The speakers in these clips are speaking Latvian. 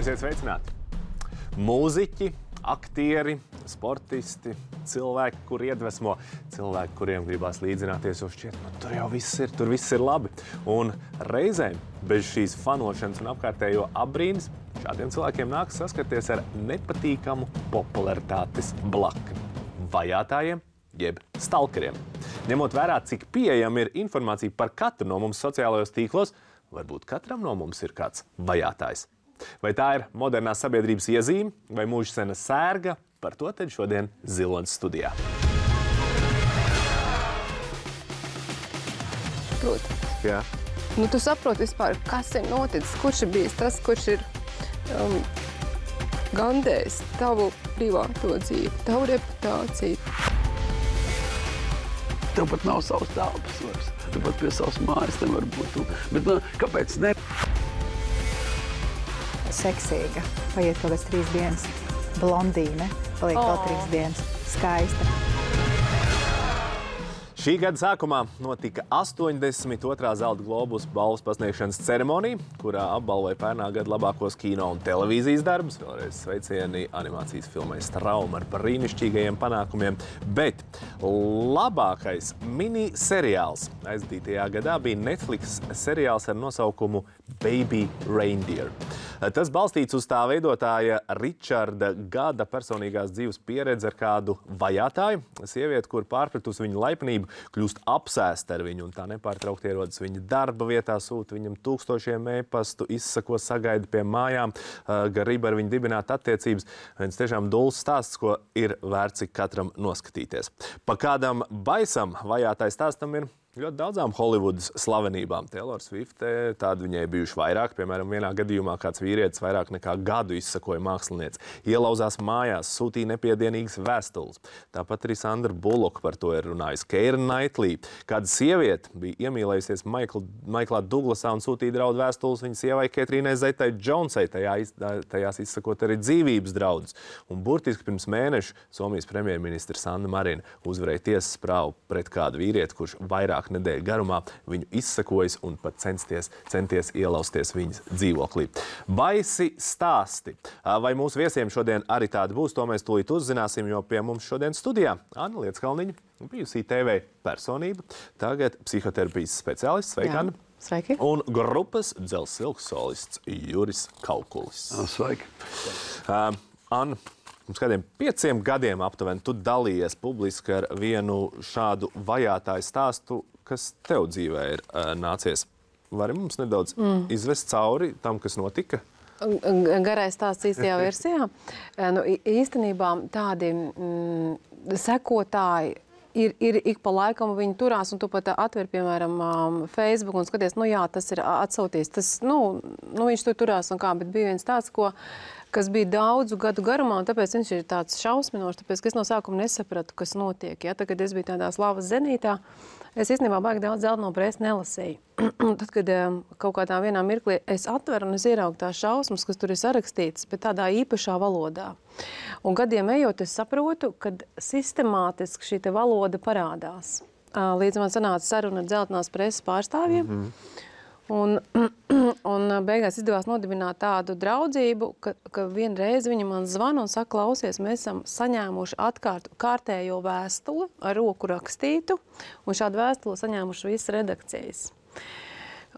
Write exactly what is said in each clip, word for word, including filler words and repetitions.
Esiet sveicināti! Mūziķi, aktieri, sportisti, cilvēki, kur iedvesmo, cilvēki, kuriem gribās līdzināties, jo šķiet, nu, tur jau viss ir, tur viss ir labi. Un reizēm bez šīs fanošanas un apkārtējo apbrīnas šādiem cilvēkiem nākas saskarties ar nepatīkamu popularitātes blakni – vajātājiem jeb stalkeriem. Ņemot vērā, cik pieejama ir informācija par katru no mums sociālajos tīklos, varbūt katram no mums ir kāds vajātājs. Vai tā ir modernās sabiedrības iezīme vai mūžsena sērga? Par to tad šodien Ziloņas studijā. Protams. Jā. Nu, tu saproti vispār, kas ir noticis, kurš ir bijis tas, kurš ir um, gandējis tavu privāto dzīvi, tavu reputāciju. Tev pat nav savs telpas vairs. Tu pat pie savas mājas nevar būt. Bet nu, kāpēc ne? Seksīga. Paiet kaut kāds trīs dienas. Blondīne. Paliek vēl trīs dienas. Skaista. Šī gada sākumā notika astoņdesmit otrā Zelta Globus balvas pasniegšanas ceremonija, kurā apbalvoja pērnā gada labākos kino un televīzijas darbus. Vēlreiz sveicieni animācijas filmai Strauma ar brīnišķīgajiem panākumiem. Bet labākais mini-seriāls aizdītajā gadā bija Netflix seriāls ar nosaukumu Baby Reindeer. Tas balstīts uz tā veidotāja Ričarda Gada personīgās dzīves pieredzi ar kādu vajātāju. Sievieti, kur pārpratus viņu laipnību, kļūst apsēsta ar viņu un tā nepārtraukti ierodas viņa darba vietā, sūta viņam tūkstošiem e-pastu, izsako sagaida pie mājām, grib ar viņu dibināt attiecības. Viens tiešām dulls stāsts, ko ir vērts ik katram noskatīties. Pa kādam baisam vajātais stāstam ir ļoti daudzām Holivudas slavenībām. Taylor Swift, tādi viņai bijuši vairāk. Piemēram, vienā gadījumā kāds vīrietis vairāk nekā gadu izsakoja mākslinieci. Ielauzās mājās, sūtīja nepiedienīgas vēstules. Tāpat arī Sandra Bullock par to ir runājusi. Keira Knightley, kāda sieviete bija iemīlējusies Maikl, Maiklā Duglasā un sūtīja draudu vēstules viņas sievai Ketrīnai Zeitai Džonsai, tajā, tajās izsakot arī dzīvības draudus. Un burtiski pirms mēneša Somijas premjerministra Sanna Marina uzvarēja tiesas prāvu pret kādu vīrieti, kurš vairāk nedēļu garumā viņu izsakojas un pat censties, centies ielausties viņas dzīvoklī. Baisi stāsti. Vai mūsu viesiem šodien arī tādi būs, to mēs tūlīt uzzināsim, jo pie mums šodien studijā Anna Lietskalniņa, bijusī T V personība, tagad psihoterapijas speciālists. Sveika, Anna. Sveiki. Un grupas Dzelzs Silks solists Juris Kaukulis. Sveiki. Uh, Anna, pirms kādiem pieciem gadiem aptuveni tu dalījies publiski ar vienu šādu vajātāju stāstu, kas tev dzīvē ir uh, nācies. Vari mums nedaudz mm. izvest cauri tam, kas notika? Garais stāsts īstajā versijā. Nu, īstenībā tādi mm, sekotāji ir, ir ik pa laikam viņi turās, un tu pat atver, piemēram, Facebook un skaties, nu jā, tas ir atsauties. Tas, nu, nu, viņš tur turās un kā, bet bija viens tāds, ko kas bija daudzu gadu garumā, un tāpēc viņš ir tāds šausminošs, tāpēc, ka es no sākuma nesapratu, kas notiek. Ja? Tad, kad es biju tādā slavas zenītā, es īstenībā baigi daudz Zeltno presi nelasīju. Tad, kad kaut kādā vienā mirklī es atveru un es ieraugu tās šausmas, kas tur ir sarakstītas, bet tādā īpašā valodā. Un gadiem ejot, es saprotu, kad sistemātiski šī te valoda parādās. Līdz man sanāca saruna ar Zeltnās preses pārstāvjiem. Mm-hmm. Un, un beigās izdevās nodibināt tādu draudzību, ka, ka vienreiz viņa man zvana un saka, klausies, mēs esam saņēmuši atkārt kārtējo vēstuli ar roku rakstītu, un šādu vēstuli saņēmuši visas redakcijas.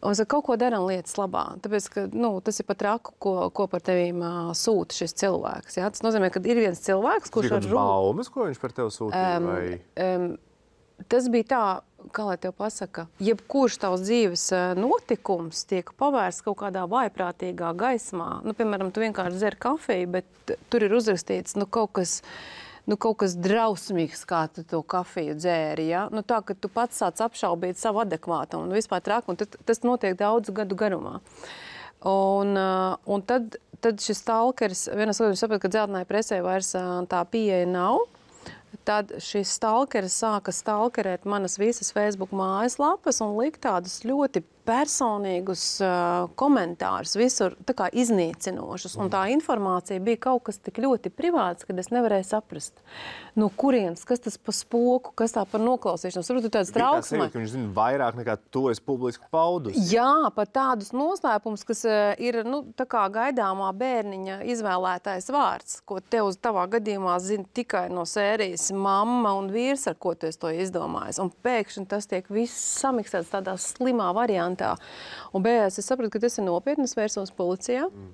Un es kaut ko daram lietas labā, tāpēc, ka nu, tas ir pat raku, ko, ko par tevīm uh, sūta šis cilvēks. Ja? Tas nozīmē, ka ir viens cilvēks, kurš ar roku... baumas, ko viņš par tevi sūtīja? Um, vai... um, tas bija tā, kā lai tev pasaka, jebkurš tavs dzīves notikums tiek pavērsts kaut kādā vaiprātīgā gaismā. Nu, piemēram, tu vienkārši dzer kafiju, bet tur ir uzrakstīts nu, kaut kas, nu, kaut kas drausmīgs, kā tu to kafiju dzēri. Ja? Nu, tā, ka tu pats sāc apšaubīt savu adekvātumu un vispār traku, un tas notiek daudzu gadu garumā. Un, un tad, tad šis stalkeris, vienas gadījumā saprot, ka Zeltnai presē vairs tā pieeja nav. Tad šis stalkeris sāka stalkerēt manas visas Facebook mājaslapas un likt tādus ļoti personīgus uh, komentārus visur tā kā iznīcinošus. Un tā informācija bija kaut kas tik ļoti privāts, ka es nevarēju saprast, no kurienes, kas tas pa spoku, kas tā par noklausīšanos. Tur tāds trauksmē. Ka viņš zina vairāk nekā tu esi publiski paudus. Jā, pat tādus noslēpumus, kas uh, ir nu, tā kā gaidāmā bērniņa izvēlētais vārds, ko tev uz tavā gadījumā zina tikai no sērijas mamma un vīrs, ar ko tu esi to izdomājis. Un pēkšņi tas tiek viss samiksēts tādā slimā variantā. Un beigās es sapratu, ka tas ir nopietni, es vērsos policijā. Mm.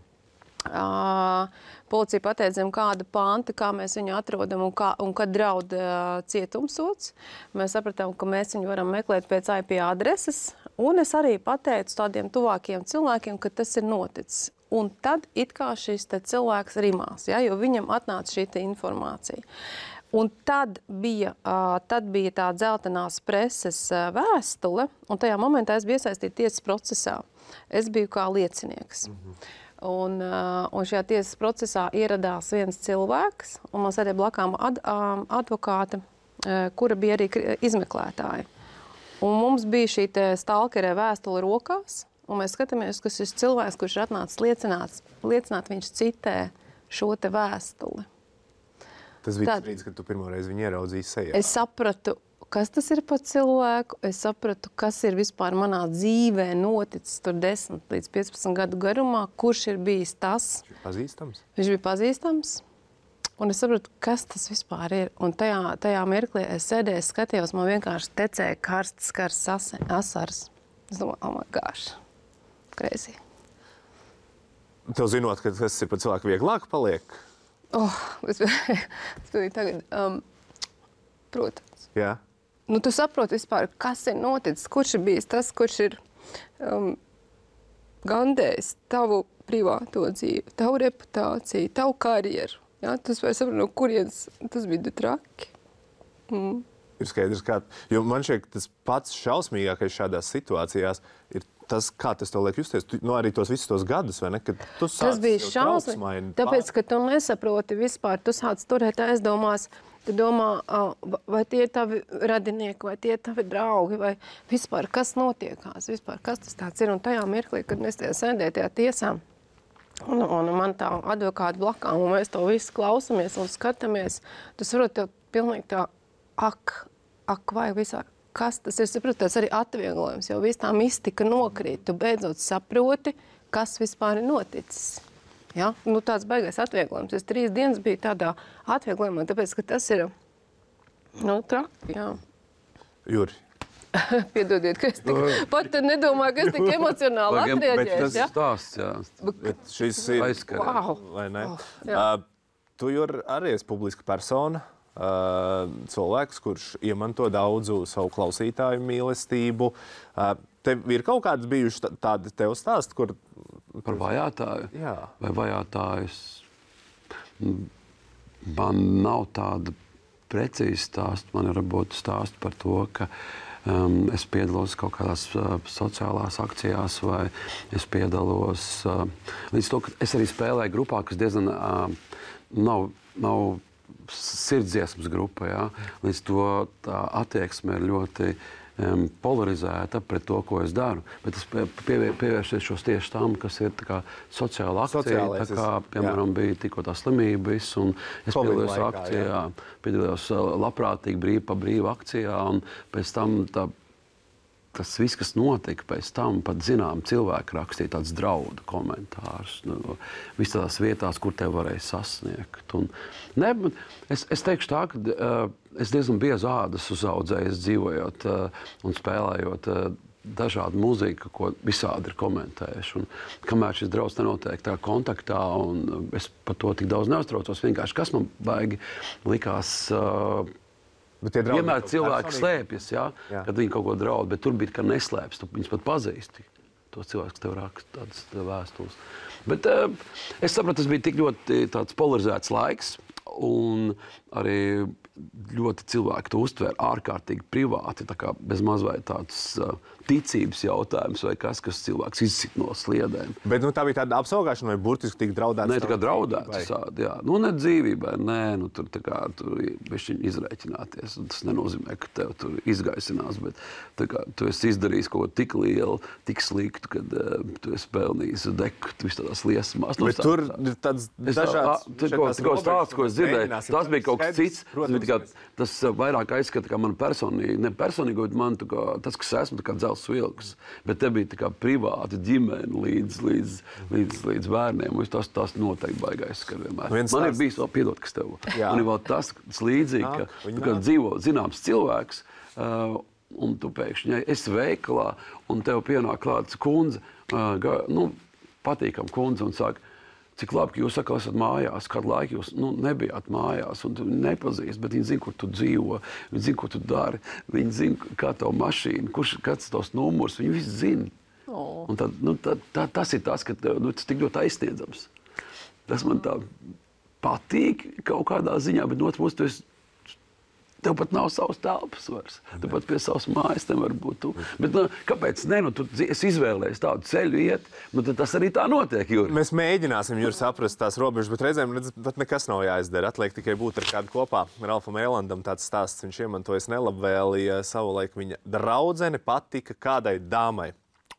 Uh, policija pateica, zem kāda panta, kā mēs viņu atrodam un, kā, un kad draud uh, cietumsods. Mēs sapratām, ka mēs viņu varam meklēt pēc I P adreses. Un es arī pateicu tādiem tuvākiem cilvēkiem, ka tas ir noticis. Un tad it kā šis te cilvēks rimās, ja, jo viņam atnāca šī te informācija. Un tad bija, uh, tad bija tā dzeltenās preses uh, vēstule, un tajā momentā es biju iesaistīta tiesas procesā. Es biju kā liecinieks. Mm-hmm. Un, uh, un šajā tiesas procesā ieradās viens cilvēks, un man sēdēja blakām ad, um, advokāte, uh, kura bija arī izmeklētāja. Un mums bija šī te stalkerē vēstule rokās, un mēs skatāmies, ka šis cilvēks, kurš ir atnācis liecināt, liecināt, viņš citē šo te vēstuli. Tas bija tas brīdis, kad tu pirmo reizi viņu ieraudzīji sejā. Es sapratu, kas tas ir par cilvēku, es sapratu, kas ir vispār manā dzīvē noticis tur desmit līdz piecpadsmit gadu garumā, kurš ir bijis tas. Viņš bija pazīstams? Viņš bija pazīstams, un es sapratu, kas tas vispār ir. Un tajā, tajā mirklī es sēdēju, skatījos, man vienkārši tecēja karsts, karsts asars. Es domāju, oh my gosh, crazy. Tev zinot, ka tas ir par cilvēku vieglāk paliek? Oh, es biju tagad, um, protams. Jā. Nu, tu saproti vispār, kas ir noticis, kurš ir bijis tas, kurš ir um, gandējis tavu privāto dzīvi, tavu reputāciju, tavu karjeru. Ja? Tas var saprast, no kurienes tas bija traki. Mm. Ir skaidrs, kā, jo man šķiet, tas pats šausmīgākais šādās situācijās ir tas, kā tas tev liek justies. Tu, nu, arī tos visus tos gadus, vai ne? Kad tu tas bija šausmīgi, tāpēc, ka tu nesaproti vispār, tu sāc turēt aizdomās, tu domā, vai tie ir tavi radinieki, vai tie ir tavi draugi, vai vispār, kas notiekās, vispār, kas tas tāds ir. Un tajā mirklī, kad mēs tajā sēdē tajā tiesā, un, un man tā advokāta blakām, un mēs to visu klausamies un skatāmies, tu saproti, tev pilnīgi tā, ak, ak, vai vispār, kas tas ir, saproti, tas arī atvieglojums, jo viss tā mistika nokrīt, tu beidzot saproti, kas vispār ir noticis. Ja? Nu, tāds baigais atvieglojums. Es trīs dienas biju tādā atvieglojumā, tāpēc, ka tas ir, nu, traki, jā. Juri. Piedodiet, ka es tik, pat nedomāju, ka es tik emocionāli atrieģēšu. Bet tas ja? stāsts, jā. Bet šis ir, aizkarē. Wow. vai ne? Oh, jā. uh, tu, Juri, arī esi publiska persona. Uh, cilvēks, kurš iemanto daudzu savu klausītāju mīlestību. Uh, tev ir kaut kāds bijuši tādi tev stāsti, kur... Par vajātāju? Jā. Vai vajātājus? Man nav tāda precīza stāsta. Man ir varbūt stāsti par to, ka um, es piedalos kaut kādās uh, sociālās akcijās vai es piedalos... Uh, līdz to, ka es arī spēlēju grupā, kas diezgan uh, nav... nav sirdsdziesmas grupa, jā. Līdz to tā attieksme ir ļoti um, polarizēta pret to, ko es daru. Bet es pie, pievēršos tieši tam, kas ir tā kā sociāla akcija, Sociālais, tā kā, piemēram, jā. Bija tikko tā slimība viss, un es piedalījos akcijā, piedalījos labprātīgi brīvi pa brīvu akcijā, un pēc tam tā tas viss, kas notika pēc tam, pat zinām, cilvēki rakstīja tādus draudu komentārus, nu, vis tādās vietās, kur tev varēja sasniegt. Un, ne, es, es teikšu tā, ka uh, es diezgan biezu ādas uzaudzējis dzīvojot uh, un spēlējot uh, dažādu mūziku, ko visādi ir komentējuši. Un, kamēr šis drauds nenotiek tā kontaktā, un es par to tik daudz neuztraucos, vienkārši kas man baigi likās... Uh, Vienmēr cilvēki slēpjas, jā, jā. Kad viņi kaut ko draud, bet tur bija, ka neslēpjas, tu viņus pat pazīsti. Tos cilvēkus, kas tev raksta tādas vēstules. Bet uh, es sapratu, tas bija tik ļoti tāds polarizēts laiks, un arī ļoti cilvēki to uztver ārkārtīgi privāti, tā kā bez mazliet tāds uh, ticības jautājums vai kas, kas cilvēks izsit no sliedēm. Bet nu, tā bija tāda apsaugāšana vai burtiski tika draudēts? Nē, tā kā draudēts sādi, jā. Nu, ne dzīvībai, nē, nu, tur tā kā tur bišķiņ izrēķināties. Tas nenozīmē, ka tev tur izgaisinās, bet tā kā tu esi izdarījis kaut ko tik lielu, tik sliktu, kad uh, tu esi pelnījis deku, tu esi tādās liesmās. Nu, bet tā, tur ir tāds dažāds... Tikko stāsts, ko es dzirdēju, tas bija kaut kas cits. Protams, kā, tas vairāk aizskata kā man personīgi, ne personīgi, bet man tā kā, tas, kas esmu, tā kā dzels vilks. Bet te bija tā kā privāta ģimene līdz, līdz, līdz, līdz bērniem. Tas, tas noteikti baigais skar vienmēr. Viens man tās... ir bijis vēl piedot, kas tev. Jā. Man ir vēl tas, tas līdzīgi, ka tu kā dzīvo zināms cilvēks, uh, un tu pēkšņi esi veikalā, un tev pienāk klāts kundze, uh, ga, nu, patīkam kundze, un saka, cik labi, ka jūs atkal esat mājās, kādu laiku jūs nu, nebijāt mājās, un tu nepazīst, bet viņi zina, kur tu dzīvo, viņi zina, ko tu dari, viņi zina, kā tavu mašīnu, kurš, kāds tos numurs, viņi visi zina. Oh. Un tad, nu, tā, tā, tas ir tas, ka nu, tas tik ļoti aizsniedzams. Tas man tā patīk kaut kādā ziņā, bet no otras puses tu esi tev pat nav savas telpas vairs. Tu pat pie savas mājas nevar būt tu. Bet nu, kāpēc ne? Nu, tu esi izvēlējies tādu ceļu iet, nu tad tas arī tā notiek, Juri. Mēs mēģināsim, Juri, saprast tās robežas, bet reizēm pat nekas nav jāizdara. Atliek tikai būt ar kādu kopā. Ralfam Ēlandam tāds stāsts, viņš iemantojas nelabvēlī, savulaik viņa draudzene patika kādai dāmai.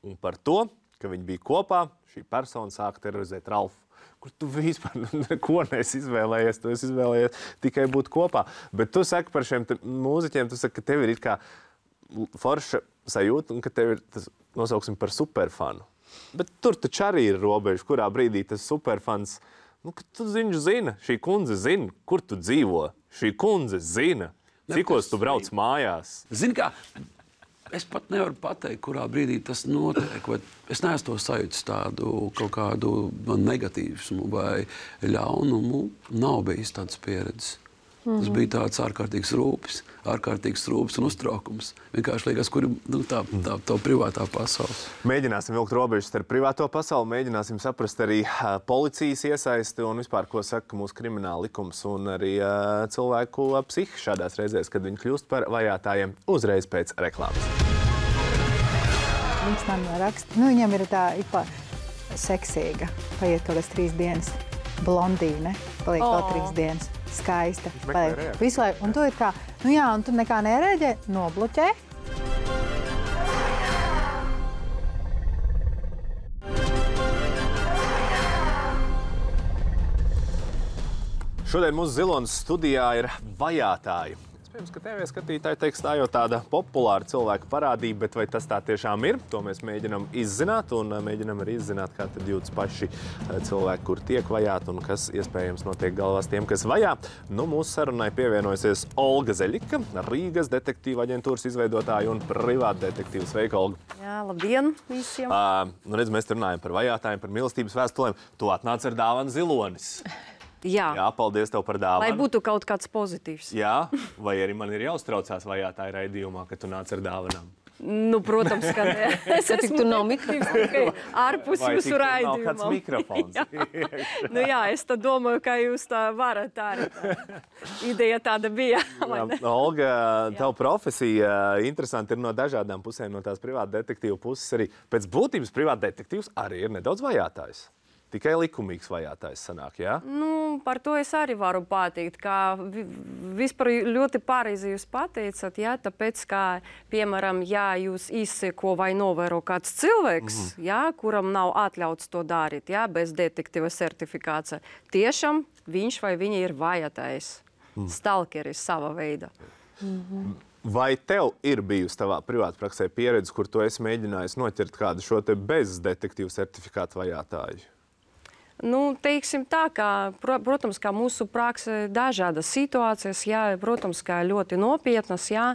Un par to, ka viņi bija kopā, šī persona sāka terorizēt Ralfu. Kur tu vispār neko neesi izvēlējies, tu esi izvēlējies tikai būt kopā. Bet tu saki par šiem mūziķiem, tu saki, ka tev ir it kā forša sajūta un ka tev ir, tas nosauksim par superfanu. Bet tur taču arī ir robeža, kurā brīdī tas superfans, nu, ka tu ziņu zina, šī kundze zina, kur tu dzīvo. Šī kundze zina, cikos tu brauc mājās. Zini kā, es pat nevaru pateikt, kurā brīdī tas notiek. Vai es neesmu to sajūtis tādu kaut kādu negatīvismu vai ļaunumu. Nav bijis tādas pieredzes. Mm-hmm. Tas bija tāds ārkārtīgs rūpes, ārkārtīgs rūpes un uztraukums. Vienkārši liekas, kur nu, tā, tā, tā privātā pasaule. Mēģināsim vilkt robežas ar privāto pasauli, mēģināsim saprast arī uh, policijas iesaisti un vispār, ko saka mūsu krimināla likums un arī uh, cilvēku uh, psihi šādās reizēs, kad viņi kļūst par vajātājiem uzreiz pēc reklāmas. Viņš man raksta, nu viņam ir tā ipa seksīga, paiet kaut kādas trīs dienas, blondīne, paliek vēl trīs dienas. Skaista. Visu laiku. Un tu ir kā, nu jā, un tu nekā nereģē, nobloķē. Šodien mūsu Zilonas studijā ir vajātāji. Iespējams, ka T V skatītāji teiks, tā jau tāda populāra cilvēka parādība, bet vai tas tā tiešām ir? To mēs mēģinām izzināt un mēģinām arī izzināt, kā tad jūtas paši cilvēki, kur tiek vajāti un kas iespējams notiek galvās tiem, kas vajā. Nu, mūsu sarunai pievienojusies Olga Zeļika, Rīgas detektīva aģentūras izveidotāja un privāta detektīva. Sveika, Olga! Jā, labdien visiem! Uh, nu, redz, mēs runājam par vajātājiem, par mīlestības vēstulēm. Tu atnāc ar dāvanu Zilonis. Jā. Jā, paldies tev par dāvanu. Lai būtu kaut kāds pozitīvs. Jā, vai arī man ir jāuztraucās vajātāja raidījumā, ka tu nāc ar dāvanām? Nu, protams, ka ne. Es esmu tur nav mikrofons. Ārpus jūsu raidījumā. Vai tik tur nav kāds mikrofons? Jā. Nu jā, es tad domāju, ka jūs tā varat arī. Tā. Ideja tāda bija. Olga, tavu profesija interesanti ir no dažādām pusēm, no tās privāta detektīva puses arī. Pēc būtības privāta detektīvs arī ir nedaudz vajātājs. Tikai likumīgs vajātājs sanāk, jā? Nu, par to es arī varu pateikt, ka vispār ļoti pareizi jūs pateicat, jā, tāpēc, ka, piemēram, ja jūs izseko vai novēro kāds cilvēks, mm-hmm. jā, kuram nav atļauts to darīt, jā, bez detektīva certifikācija, tiešām viņš vai viņa ir vajātājs, mm. stalkeris sava veida. Mm-hmm. Vai tev ir bijusi tavā privātpraksē pieredze, kur tu esi mēģinājis noķert kādu šo te bez detektīva certifikāta vajātāju? Nu, teiksim tā, ka, protams, ka mūsu prakse dažādas situācijas, jā, protams, ka ļoti nopietnas, jā,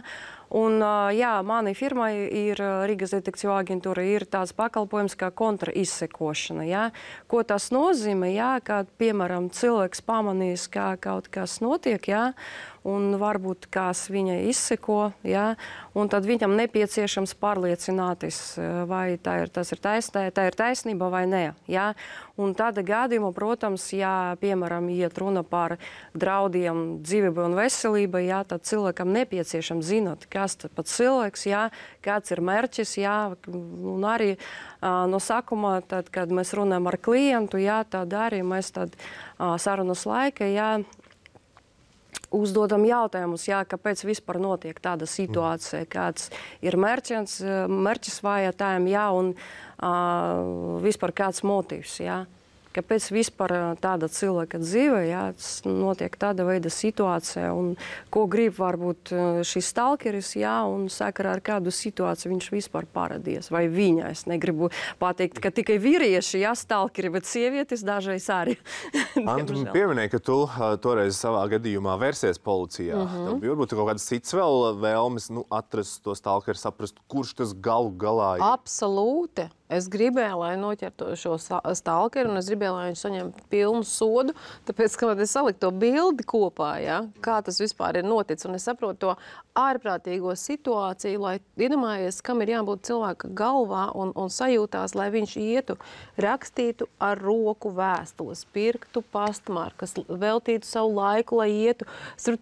Un, jā, manai firmai ir Rīgas detektīvu aģentūra, ir tāds pakalpojums kā kontraizsekošana. Jā. Ko tas nozīmē, jā, kad, piemēram, cilvēks pamanīs, kā kaut kas notiek, jā, un varbūt kāds viņa izseko, jā, un tad viņam nepieciešams pārliecināties, vai tā ir, tas ir, taisnē, tā ir taisnība vai nē. Jā. Un tāda gadījumā, protams, ja, piemēram, iet runa par draudiem dzīvībai un veselībai, jā, tad cilvēkam nepieciešams zināt, kas tas pats cilvēks, jā, kāds ir mērķis, jā, un arī uh, no sākuma, tad, kad mēs runājam ar klientu, jā, tad arī mēs tad uh, sarunas laika, jā, uzdodam jautājumus, jā, kāpēc vispār notiek tāda situācija, kāds ir mērķis, mērķis vajadzējām, jā, un uh, vispār kāds motīvs, jā. Kāpēc vispār tāda cilvēka dzīve, jā, notiek tāda veida situācija, un ko grib varbūt šis stalkeris, jā, un sakarā ar kādu situāciju viņš vispār paradies, vai viņa, es negribu pateikt, ka tikai vīrieši, jā, stalkeri, bet sievietes dažreiz arī. Antu pieminēja, ka tu toreiz savā gadījumā vērsies policijā. Mm-hmm. Tev bija varbūt kaut kādas cits vēl vēlmes, nu, atrast to stalkeri, saprast, kurš tas galu galā ir? Absolūti. Es gribēju, lai noķertu šo stalkeri, un es gribēju, lai viņš saņemtu pilnu sodu, tāpēc, ka es saliku to bildi kopā, ja, kā tas vispār ir noticis. Un es saprotu to ārprātīgo situāciju, lai iedomājies, kam ir jābūt cilvēka galvā un, un sajūtās, lai viņš ietu, rakstītu ar roku vēstules, pirktu pastmarkas, veltītu savu laiku, lai ietu.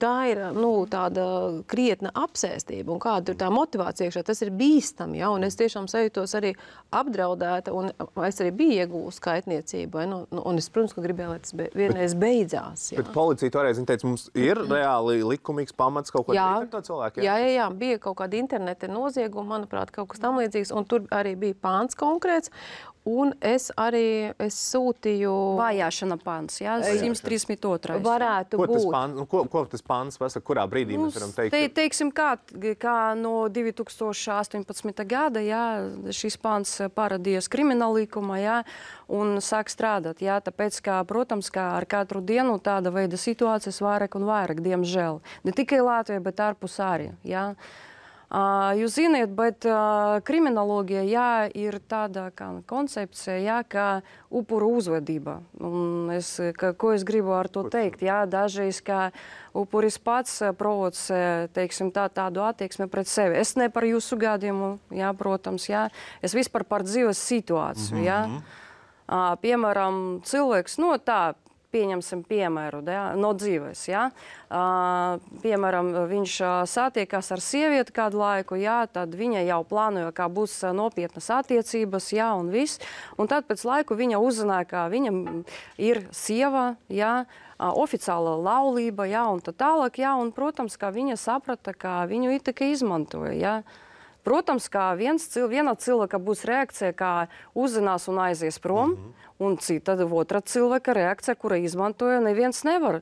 Tā ir, nu, tāda krietna apsēstība, un kāda ir tā motivācija iekšā. Tas ir bīstami, ja, un es tiešām sajūtos arī apdraudēta, un es arī biju iegūst skaitniecību, nu, un es, protams, ka gribēju, lai tas be, vienreiz beidzās. Jā. Bet policija toreiz, viņa teica, mums ir reāli likumīgs pamats kaut ko darīt ar to cilvēku? Jā, jā, jā, jā, bija kaut kāda interneta nozieguma, manuprāt, kaut kas tam līdzīgs, un tur arī bija pāns konkrēts, un es arī es sūtīju... Vajāšana pāns, jā, simt trīsdesmit otrais. Varētu ko tas būt. Pāns, nu, ko, ko tas pāns pasaka, kurā brīdī mēs varam teikt? Te, teiksim, kā, kā no divi tūkstoši astoņpadsmitā gada, jā, šis pāns parādījās krimināla likumā, jā, un sāk strādāt, jā, tāpēc, ka, protams, ka ar katru dienu tāda veida situācijas vairāk un vairāk, diemžēl. Ne tikai Latvija, bet ārpus arī, jā. Uh, jūs ziniet, bet uh, kriminologija, jā, ir tāda kā koncepcija, jā, kā upuru uzvedība. Un es, ka, ko es gribu ar to teikt? Jā, dažreiz, kā upuris pats provocē, teiksim, tā, tādu attieksmi pret sevi. Es ne par jūsu gadījumu, jā, protams, jā. Es vispār par dzīves situāciju, jā. Uh, piemēram, cilvēks, no tā, pieņemsim piemēru, ja, no dzīves. Ja. Uh, piemēram, viņš uh, satiekās ar sievieti kādu laiku, ja, tad viņa jau plānoja, kā būs uh, nopietnas attiecības, ja, un viss. Un tad pēc laiku viņa uzzināja, ka viņa ir sieva, ja, uh, oficiāla laulība, ja, un tā tālāk, ja, un, protams, ka viņa saprata, ka viņu it tikai izmantoja. Ja. Protams, ka viens, viena cilvēka būs reakcija, kā uzzinās un aizies prom, mm-hmm. un cita otra cilvēka reakcija, kura izmantoja, neviens nevar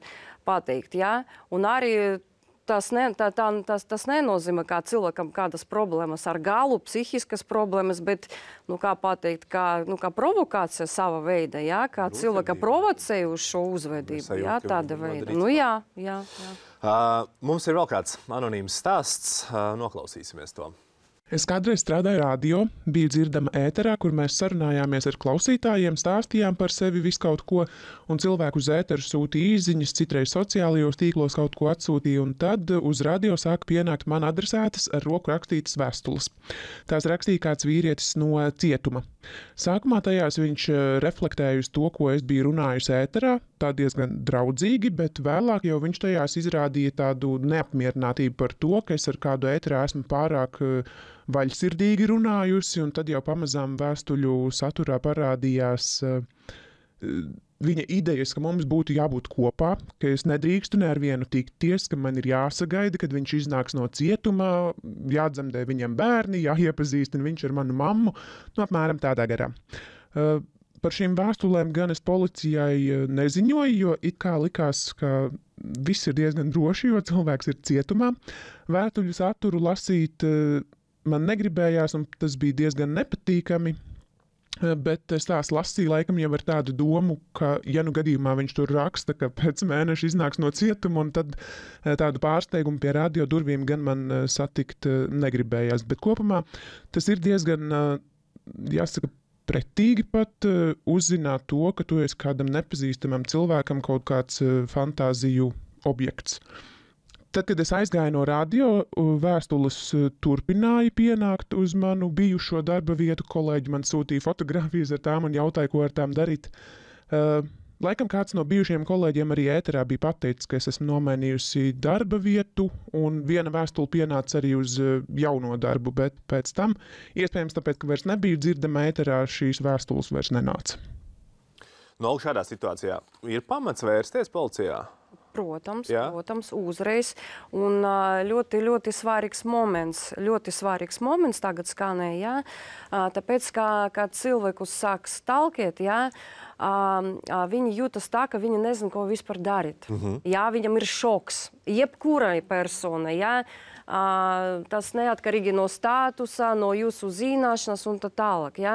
pateikt. Ja? Un arī tas, ne, tā, tā, tas, tas nenozīmē, ka cilvēkam kādas problēmas ar galu, psihiskas problēmas, bet, nu, kā pateikt, kā, nu, kā provokācija sava veida, ja? Kā cilvēka provocēja uz šo uzvedību, ja? Tāda veida. Nu, jā, jā, jā. Uh, mums ir vēl kāds anonīms stāsts, uh, noklausīsimies to. Es kādreiz strādāju radio, biju dzirdama ēterā, kur mēs sarunājāmies ar klausītājiem, stāstījām par sevi visu kaut ko, un cilvēku uz ēteru sūtīja īziņas, citreiz sociālajos tīklos kaut ko atsūtīja, un tad uz radio sāka pienākt man adresētas ar roku rakstītas vēstules. Tās rakstīja kāds vīrietis no cietuma. Sākumā tajās viņš reflektēja uz to, ko es biju runājusi ēterā, tā diezgan draudzīgi, bet vēlāk jau viņš tajās izrādīja tādu neapmierinātību par to, ka es ar kādu ēterā esmu pārāk vaļsirdīgi runājusi, un tad jau pamazām vēstuļu saturā parādījās uh, viņa idejas, ka mums būtu jābūt kopā, ka es nedrīkstu ne ar vienu tikties, ka man ir jāsagaida, kad viņš iznāks no cietuma, jādzemdē viņam bērni, jāiepazīstina viņš ar manu mammu, nu apmēram tādā garā. Uh, par šīm vēstulēm gan es policijai neziņoju, jo it kā likās, ka viss ir diezgan droši, jo cilvēks ir cietumā. Vēstuļu saturu lasīt uh, man negribējās, un tas bija diezgan nepatīkami. Bet es tās lasīju laikam jau ar tādu domu, ka, ja nu gadījumā viņš tur raksta, ka pēc mēneša iznāks no cietuma, un tad tādu pārsteigumu pie radio durvīm gan man satikt negribējās. Bet kopumā tas ir diezgan, jāsaka, pretīgi pat uzzināt to, ka tu esi kādam nepazīstamam cilvēkam kaut kāds fantāziju objekts. Tad, kad es aizgāju no radio, vēstules turpināja pienākt uz manu bijušo darba vietu. Kolēģi man sūtīja fotogrāfijas ar tām un jautāja, ko ar tām darīt. Uh, laikam kāds no bijušajiem kolēģiem arī ēterā bija pateicis, ka es esmu nomainījusi darba vietu, un viena vēstule pienāca arī uz jauno darbu, bet pēc tam, iespējams tāpēc, ka vairs nebija dzirdama ēterā, šīs vēstules vairs nenāca. No šādā situācijā ir pamats vērsties policijā? Protams, Jā. protams, uzreiz. Un ļoti, ļoti svarīgs moments, ļoti svarīgs moments tagad skanēja, jā. Tāpēc, kā, kā cilvēkus sāk stalkēt, jā, viņi jūtas tā, ka viņi nezin, ko vispār darīt. Mm-hmm. Jā, viņam ir šoks. Jebkurai personai, jā. Tas neatkarīgi no statusa, no jūsu zināšanas un tā tālāk. Ja?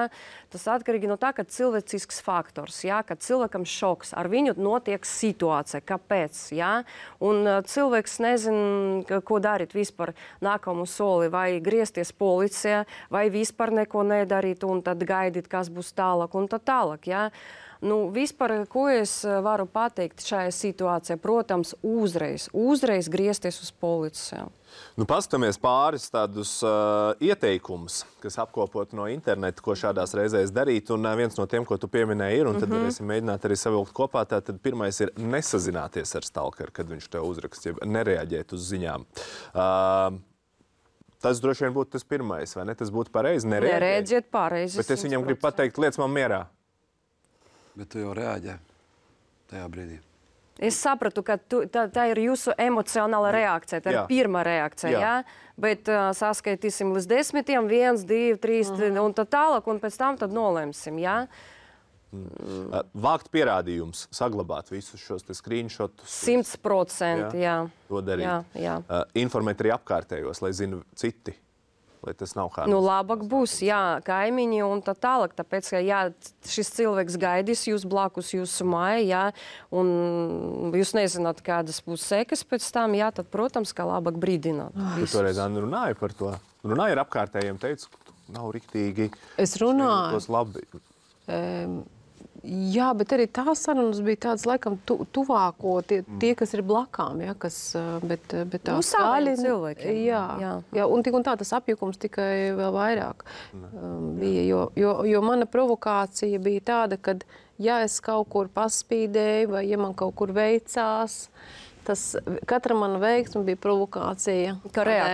Tas atkarīgi no tā, ka cilvēcisks faktors, ja? Kad cilvēkam šoks, ar viņu notiek situācija, kāpēc. Ja? Un cilvēks nezin, ko darīt vispār nākamu soli, vai griezties policijā, vai vispār neko nedarīt un tad gaidīt, kas būs tālāk un tā tālāk. Ja? Nu, vispār, ko es varu pateikt šajā situācijā? Protams, uzreiz, uzreiz griezties uz policiju. Nu, paskatāmies pāris tādus uh, ieteikumus, kas apkopot no interneta, ko šādās reizēs darīt. Un uh, viens no tiem, ko tu pieminēji, ir, un tad mm-hmm. varēsim mēģināt arī savilkt kopā. Tātad pirmais ir nesazināties ar stalkeru, kad viņš tev uzrakst, ja nereaģēt uz ziņām. Uh, tas droši vien būtu tas pirmais, vai ne? Tas būtu pareizi. Nereaģēt. Nereaģēt pareizi. Bet es viņam gribu pateikt, liec man mierā. Bet tu jau reaģē tajā brīdī. Es sapratu, ka tu, tā, tā ir jūsu emocionāla reakcija, tā ir Jā. pirmā reakcija, Jā. jā? Bet uh, saskaitīsim līdz desmitiem, viens, divi, trīs, mm. un tā tālāk, un pēc tam tad nolemsim, jā? Mm. Vākt pierādījumus, saglabāt visus šos te screenshotus. Simts procenti, jā. To darīt. Jā, jā. Uh, informēt arī apkārtējos, lai zinu citi. Lai tas nav kā... Nu, labāk būs, jā, kaimiņi un tā tālāk, tāpēc, ka, jā, šis cilvēks gaidīs jūs blakus jūsu māju, jā, un jūs nezināt, kādas būs sekas pēc tam, jā, tad, protams, kā labāk brīdināt. Tu toreiz, Anna, runāji par to? Runāji ar apkārtējiem, teicu, ka nav riktīgi... Es runāju. Labi. Um, Jā, bet arī tās sarunas bija tādas, laikam, tu, tuvāko, tie, tie, kas ir blakām, ja, kas, bet, bet tā nu, saviem cilvēkiem. Jā, jā. jā, un tik un tā tas apjukums tikai vēl vairāk um, bija, jo, jo, jo mana provokācija bija tāda, kad, ja es kaut kur paspīdēju vai ja man kaut kur veicās, tas katra mana veiksme bija provokācija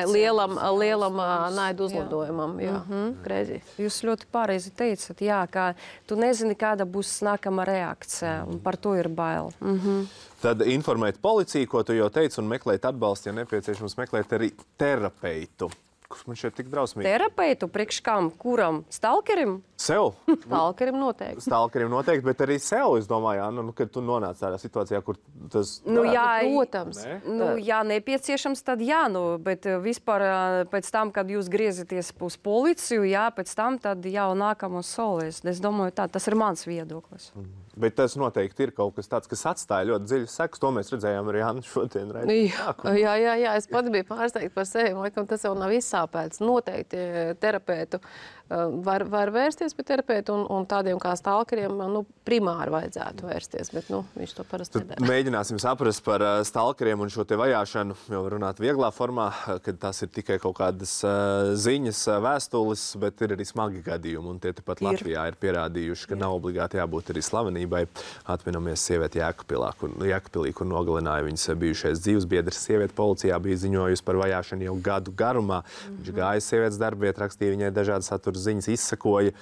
lielam, lielam naidu uzlidojumam. Jā, mm-hmm. Jūs ļoti pareizi teicat, jā, ka tu nezini, kāda būs nākamā reakcija, un par to ir bail. Mm-hmm. Tad informēt policiju, ko tu jau teici, un meklēt atbalstu, ja nepieciešams meklēt arī terapeitu. Kurš man šeit tik drausmīgi? Terapeitu priekš kam? Kuram? Stalkerim? Sev? Stalkerim noteikti. Stalkerim noteikti, bet arī sev, es domāju, Anna, nu, kad tu nonāc tādā situācijā, kur tas... Nu, jā, protams. Ne? Nu, jā, nepieciešams, tad jā, nu, bet vispār pēc tam, kad jūs griezaties uz policiju, jā, pēc tam tad jau nākamos solis. Es domāju, tā, tas ir mans viedoklis. Mm. Bet tas noteikti ir kaut kas tāds, kas atstāja ļoti dziļas sekas. To mēs redzējām arī Anna šodien. Jā, jā, jā, jā, es pats biju pārsteigta par sevi. Laikam tas jau nav izsāpēts. Noteikti terapeitu var, var vērsties pie terapeitu un, un tādiem kā stalkeriem nu, primāri vajadzētu vērsties, bet nu, viņš to parasti nedara. Mēģināsim saprast par stalkeriem un šo te vajāšanu, jau runāt vieglā formā, kad tas ir tikai kaut kādas uh, ziņas, vēstules, bet ir arī smagi gadījumi. Un tie tepat ir. Latvijā ir pierādījuši, ka ir. Nav obligāti jābūt arī slavenībai. Atminamies sievieti Jēkabpilā, kur, Jēkabpilī, kur nogalināja viņas bijušais dzīvesbiedrs. Sieviete policijā bija ziņojusi par vajāšanu jau gadu garumā. Mm-hmm. Viņš gāja sievietes darbvietā, rakstīja viņai dažādas satura ziņas, izsakoja.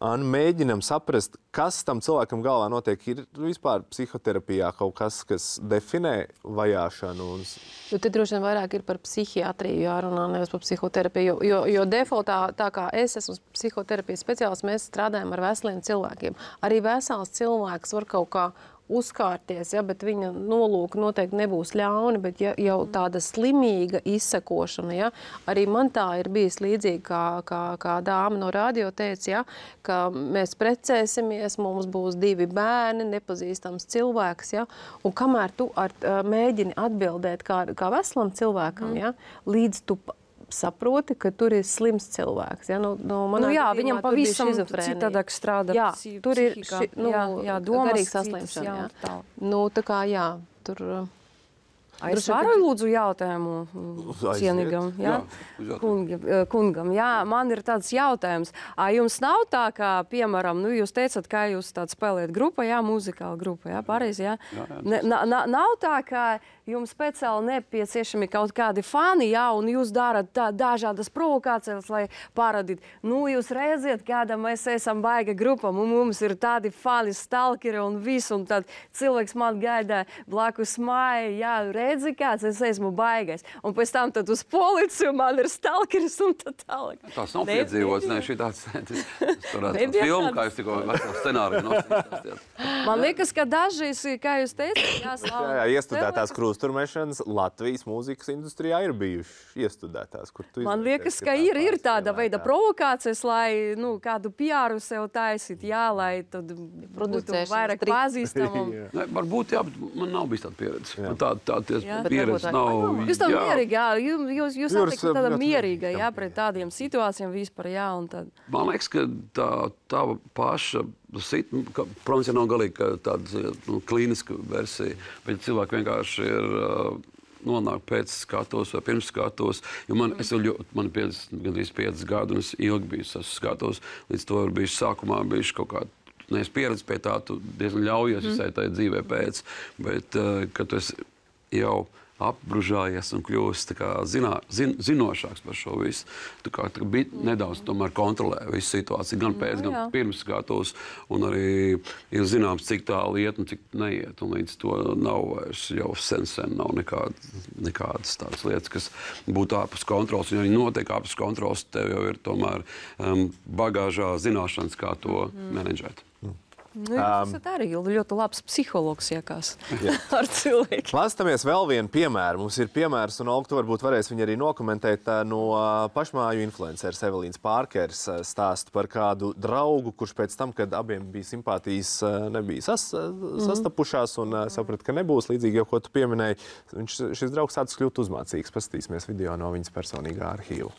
Un mēģinam saprast, kas tam cilvēkam galvā notiek. Ir vispār psihoterapijā kaut kas, kas definē vajāšanu? Un... Jo te droši vien vairāk ir par psihiatriju jārunā, nevis par psihoterapiju. Jo, jo defaultā, tā kā es esmu psihoterapijas speciālists, mēs strādājam ar veseliem cilvēkiem. Arī vesels cilvēks var kaut kā uzkārties, ja, bet viņa nolūka noteikti nebūs ļauni, bet ja, jau tāda slimīga izsekošana, ja, arī man tā ir bijis līdzīgi, kā, kā, kā dāma no radio teica, ja, ka mēs precēsimies, mums būs divi bērni, nepazīstams cilvēks, ja, un kamēr tu ar, mēģini atbildēt kā, kā veselam cilvēkam, mm. ja, līdz tu saproti, ka tur ir slims cilvēks. Ja? Nu, nu, nu, jā, viņam pavisam citādāk strādā. Jā, tur ir ši, nu, jā, jā, domas garīga saslimšana. Jā, jā. Nu, tā kā, jā, tur... A, es varu lūdzu jautājumu cienīgam, jā? Jā, kungam, kungam. Jā, man ir tāds jautājums. A, jums nav tā, kā, piemēram, nu, jūs teicat, kā jūs tād spēlēt grupa, jā, muzikāla grupa, jā, pareizi, jā? Jā, jā, ne, na, na, nav tā, ka jums speciāli nepieciešami kaut kādi fani, jā, un jūs darat tā, dažādas provokācijas, lai parādīt. Nu, jūs redziet, kāda mēs esam baiga grupa, mums ir tādi fani, stalkeri un viss, un tad cilvēks man gaida blakus māja, jā, redzi kāds, es esmu baigais. Un pēc tam tad uz policiju man ir stalkeris un tā tālāk. Tās nav piedzīvots, ne, šī tāds, tas tāds filmu, kā jūs tikko veselu scenāriju nosīstās. Man liekas, ka dažreiz, kā jūs teicat, jāslāv. Jā, iestudētās krūsturmešanas Latvijas mūzikas industrijā ir bijuši iestudētās, kur tu Man liekas, ka ir, ir tāda veida provokācijas, lai, nu, kādu piāru sev taisīt, jā, lai tad būtu vairāk pazīstamam. Ne, varbūt, jā, bet man nav bijis tāda pieredze. Man tā, tā pieredze nav... Jūs tā mierīgi, jā, jūs, jūs atlikat tāda mierīga, jā, pret tādiem situācijām vispār, jā, un tad... Man liekas, ka tā, tā paša, sit, protams, ja nav galīgi tāda nu, klīniska versija, bet cilvēki vienkārši ir uh, nonāk pēc skatos vai pirms skatos, jo man, es jau, man ir gandrīz piecas gadu, un es ilgi biju esmu skatos, līdz to ir bijuši sākumā, bijuši kaut kādi neesi pieredzi pie tā, tu diezgan ļaujies mm. visai tai dzīvē pēc, bet, uh, kad tu esi jau apbružājies un kļūst tā kā zinā, zin, zinošāks par šo visu. Tu kā tā bija nedaudz tomēr kontrolē visu situāciju, gan pēc, gan pirms skatos, un arī ir zināms, cik tālu iet un cik neiet, un līdz to nav vairs jau sen sen nav nekād, nekādas tādas lietas, kas būtu ārpus kontrols, un arī notiek ārpus kontrols, tev jau ir tomēr um, bagāžā zināšanas, kā to mm. menedžēt. Nu, jūs esat arī ļoti labs psihologs, jākās, ar cilvēku. Klastamies vēl vienu piemēru. Mums ir piemērs, un Olga, tu varbūt varēs viņu arī nokomentēt no pašmāju influenceres Evelīnas Pārkers stāstu par kādu draugu, kurš pēc tam, kad abiem bija simpātijas, nebija sas, sastapušās un saprat, ka nebūs līdzīgi jau, ko tu pieminēji. Viņš, šis draugs sācis kļūt uzmācīgs. Paskatīsimies video no viņas personīgā arhīva.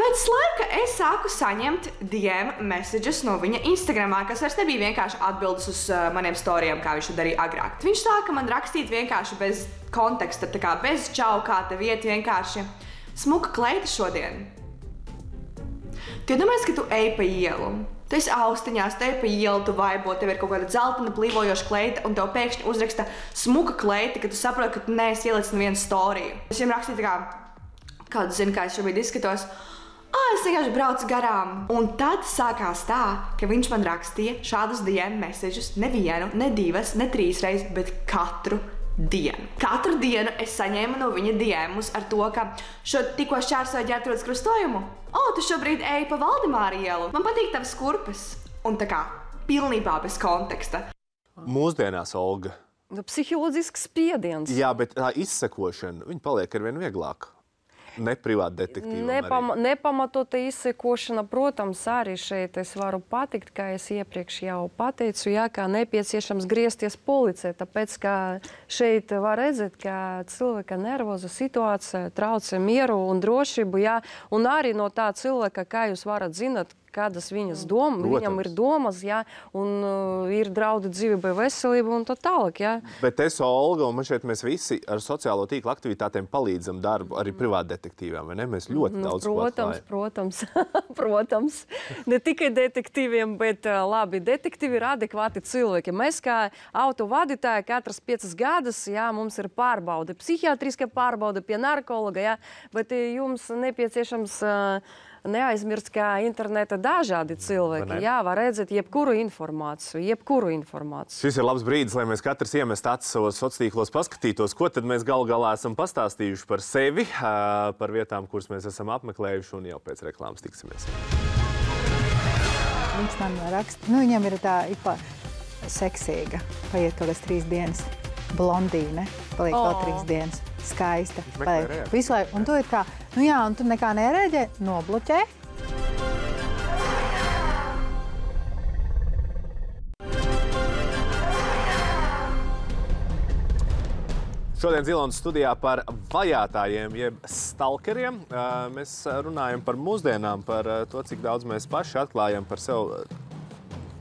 Pēc laika es sāku saņemt D M messages no viņa Instagramā, kas vairs nebija vienkārši atbildes uz uh, maniem storijiem, kā viņš to darīja agrāk. Viņš sāka man rakstīt vienkārši bez konteksta, tā kā bez čau, kā te vieta vienkārši. Smuka kleita šodien. Tu iedomājies, ka tu ej pa ielu. Tu esi austiņās, tu ej pa ielu, tu vaibo, tev ir kaut kāda dzeltena plīvojoša kleita, un tev pēkšņi uzraksta smuka kleita, ka tu saproti, ka tu neesi ielicis nevienu storiju. Es viņam rakstīju tā kā, kādu zinu, kā es šobrīd izskatos. Ā, es vienkārši braucu garām. Un tad sākās tā, ka viņš man rakstīja šādus D M messages nevienu, ne divas, ne trīs reizes, bet katru dienu. Katru dienu es saņēmu no viņa D Mus ar to, ka šo tikko šķērsoju Ģertrūdes krustojumu. O, tu šobrīd ej pa Valdemāra ielu. Man patīk tavas kurpes. Un tā kā pilnībā bez konteksta. Mūsdienās, Olga. Psiholoģisks spiediens. Jā, bet tā izsekošana, viņa paliek arvien vieglāk. Ne privāti detektīvam Nepam, arī. Nepamatota izsekošana, protams, arī šeit es varu patikt, kā es iepriekš jau pateicu, jā, kā nepieciešams griezties policē, tāpēc, ka šeit var redzēt, ka cilvēka nervoza situācija traucē mieru un drošību, jā, un arī no tā cilvēka, kā jūs varat zināt, kādas viņas doma, viņam ir domas, jā, un uh, ir draudi dzīvībai, veselība un tā tālāk, jā. Bet es, Olga, un man šeit mēs visi ar sociālo tīklu aktivitātēm palīdzam darbu, arī privāti detektīviem, vai ne? Mēs ļoti mm, daudz protams, protams, protams. Ne tikai detektīviem, bet uh, labi, detektīvi ir adekvāti cilvēki. Mēs kā autovadītāji katras piecas gadus, jā, mums ir pārbaude, psihiatriska pārbaude pie narkologa, jā, bet jums nepieciešams uh, neaizmirst, ka interneta dažādi cilvēki, jā, var redzēt jebkuru informāciju, jebkuru informāciju. Šis ir labs brīdis, lai mēs katrs iemest acis savos sociālos paskatītos, ko tad mēs gal galā esam pastāstījuši par sevi, par vietām, kuras mēs esam apmeklējuši, un jau pēc reklāmas tiksimies. Viņš man raksta, nu viņam ir tā ik pa seksīga. Paiet kaut kāds trīs dienas. Blondīne. Paliek Oh. vēl trīs dienas. Skaista. meklē Paliek reakciju. visu laiku. Un tu ir kā, nu jā, un tu nekā nereaģē, nobloķē. Šodien Zilonas studijā par vajātājiem, jeb stalkeriem. Ā, Mēs runājam par mūsdienām, par ā, to, cik daudz mēs paši atklājam par sevi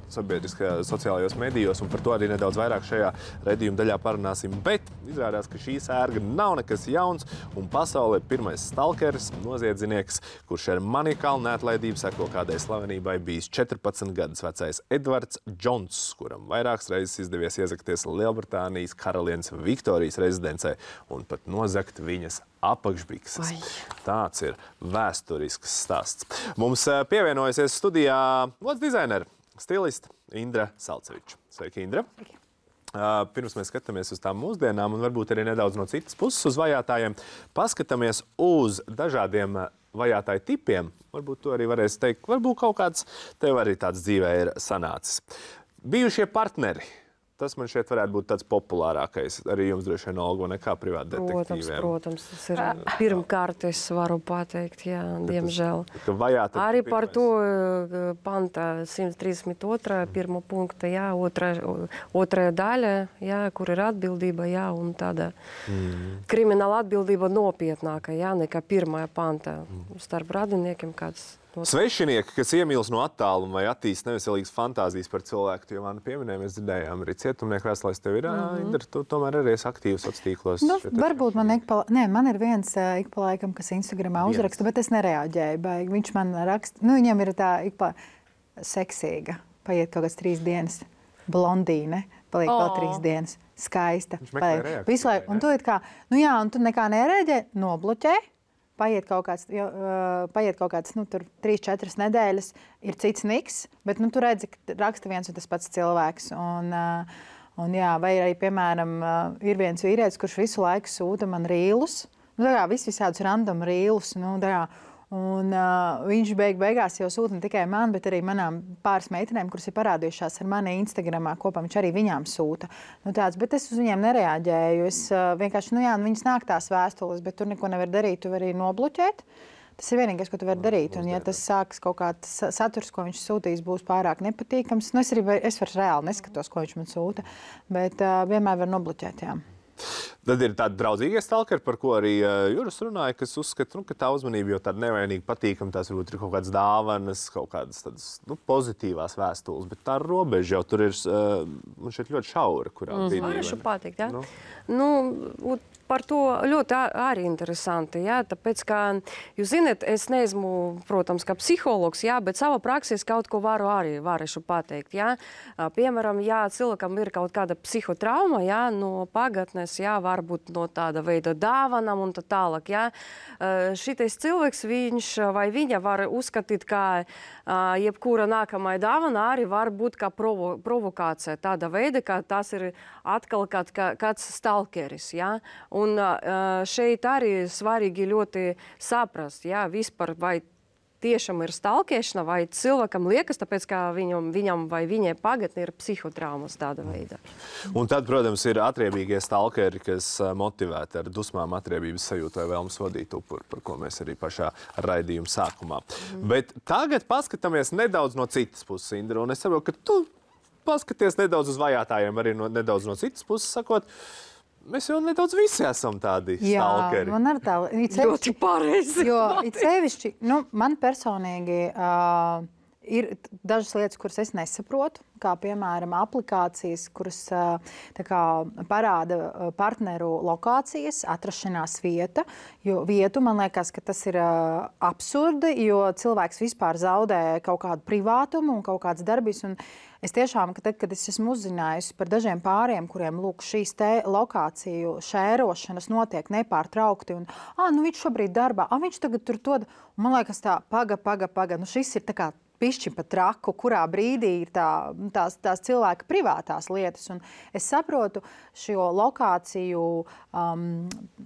sabiedriskajā, sociālajos medijos, un par to arī nedaudz vairāk šajā redzījuma daļā parunāsim. Bet izrādās, ka šī sērga nav nekas jauns, un pasaulē ir pirmais stalkeris, noziedznieks, kurš ar maniakālu neatlaidību seko kādai slavenībai, bijis četrpadsmit gadus vecais Edvards Džons, kuram vairākas reizes izdevies iezakties Lielbritānijas karalienes Viktorijas rezidencē un pat nozagt viņas apakšbikses. Tāds ir vēsturisks stāsts. Mums ā, pievienojusies studijā modes dizaineri, stilista Indra Salceviča. Sveiki, Indra! Uh, pirms mēs skatāmies uz tām mūsdienām un varbūt arī nedaudz no citas puses uz vajātājiem, paskatāmies uz dažādiem vajātāju tipiem. Varbūt to arī varēs teikt. Varbūt kaut kāds tev arī tāds dzīvē ir sanācis. Bijušie partneri. Tas man šeit varētu būt tāds populārākais. Arī jums droši vien, Olga, nekā privāti Protams, detektīviem. protams, tas ir pirmkārt, es varu pateikt, jā, diemžēl. Ka vajāta Arī pirmais. par to uh, panta simt trīsdesmit otrā pirmo punkta, jā, otrā, otrā daļa, jā, kur ir atbildība, jā, un tāda mm. krimināla atbildība nopietnāka, jā, nekā pirmā panta starp radiniekiem kāds. Svešinieki, kas iemīlas no attāluma vai attīst neveselīgas fantāzijas par cilvēku, tu jau man pieminēji, mēs dzirdējām arī cietumnieku vēstulēs, tev ir, mm-hmm. Indra, tu tomēr arī esi aktīvs sociālos tīklos. Nu, varbūt man ik pa, nē, man ir viens uh, ik pa laikam, kas Instagramā Viens. uzraksta, bet es nereaģēju. Baigi. Viņš man raksta, nu viņam ir tā ik pa seksīga. Paiet kaut kāds trīs dienas. Blondīne. Paliek Oh. vēl trīs dienas. Skaista. Viņš meklē Paliek reakciju, visu laiku. vai Un tu ir kā, nu jā, un tu nekā nereaģē, nobloķē. Paiet kaut kāds, jo, uh, paiet kaut kāds nu, tur trīs, četras nedēļas, ir cits niks, bet nu, tu redzi, ka raksta viens un tas pats cilvēks. Un, uh, un, jā, vai arī, piemēram, uh, ir viens vīrietis, kurš visu laiku sūta man rīlus. Nu, tā kā vis visādus random rīlus. Nu, tā kā, un uh, viņš beig beigās jau sūta ne tikai man, bet arī manām pāris meitenēm, kuras ir parādījušās ar mani Instagramā kopā. Viņš arī viņām sūta. Nu, tāds, bet es uz viņiem nereaģēju. Es uh, vienkārši, nu jā, nu, viņas nāk tās vēstules, bet tur neko nevar darīt. Tu vari nobloķēt. Tas ir vienīgais, ko tu vari darīt. Un, ja tas sāks kaut kāds saturs, ko viņš sūtīs, būs pārāk nepatīkams, nu, es arī es vairs reāli neskatos, ko viņš man sūta, bet uh, vienmēr var nobloķēt, jā. Tad ir tādi draudzīgie stalkeri, par ko arī uh, Juris runāja, kas uzskata, nu, ka tā uzmanība jau tāda nevainīga, patīkama. Tās varbūt ir kaut kādas dāvanas, kaut kādas tādas, nu, pozitīvās vēstules, bet tā robeža jau tur ir uh, man šeit ļoti šaura, kurā brīdī. Varēšu pateikt, jā. Nu. Nu, par to ļoti arī interesanti, jā, tāpēc, ka, jūs zināt, es neesmu, protams, kā psihologs, jā, bet savā praksē kaut ko varu arī varēšu pateikt, jā. Piemēram, ja cilvēkam ir kaut kāda psihotrauma, jā, no pagātnes, jā, varbūt no tāda veida dāvanām un tā tālāk, jā. Šitais cilvēks, viņš vai viņa var uzskatīt, ka jebkura nākamā dāvana arī var būt kā provo, provokācija tāda veida, ka tas ir atkal kād, kāds stalkeris, jā. Un šeit arī svarīgi ļoti saprast, jā, vispār vai tiešām ir stalkēšana, vai cilvēkam liekas, tāpēc, ka viņam, viņam vai viņai pagatni ir psihotraumas tāda veida. Un tad, protams, ir atriebīgie stalkeri, kas motivēti ar dusmām, atriebības sajūtu vai vēlmes vadīt upuri, par ko mēs arī pašā raidījuma sākumā. Mm. Bet tagad paskatāmies nedaudz no citas puses, Indra, un es saprotu, ka tu paskaties nedaudz uz vajātājiem arī no, nedaudz no citas puses, sakot, mēs jau nedaudz visi esam tādi Jā, stalkeri. man ar tā Ļoti pareizi. Jo it sevišķi, nu, man personīgi uh, ir dažas lietas, kuras es nesaprotu, kā piemēram aplikācijas, kuras uh, tā kā parāda partneru lokācijas, atrašanās vieta, jo vietu man liekas, ka tas ir uh, absurdi, jo cilvēks vispār zaudē kaut kādu privātumu un kaut kādas darbības. Un es tiešām, ka tad, kad es esmu uzzinājusi par dažiem pāriem, kuriem lūk šīs te lokāciju šērošanas notiek nepārtraukti, un ā, nu viņš šobrīd darbā, ā, viņš tagad tur to, un man liekas tā, paga, paga, paga, nu šis ir tā kā pišķi pa traku, kurā brīdī ir tā, tās, tās cilvēka privātās lietas. Un es saprotu šo lokāciju um,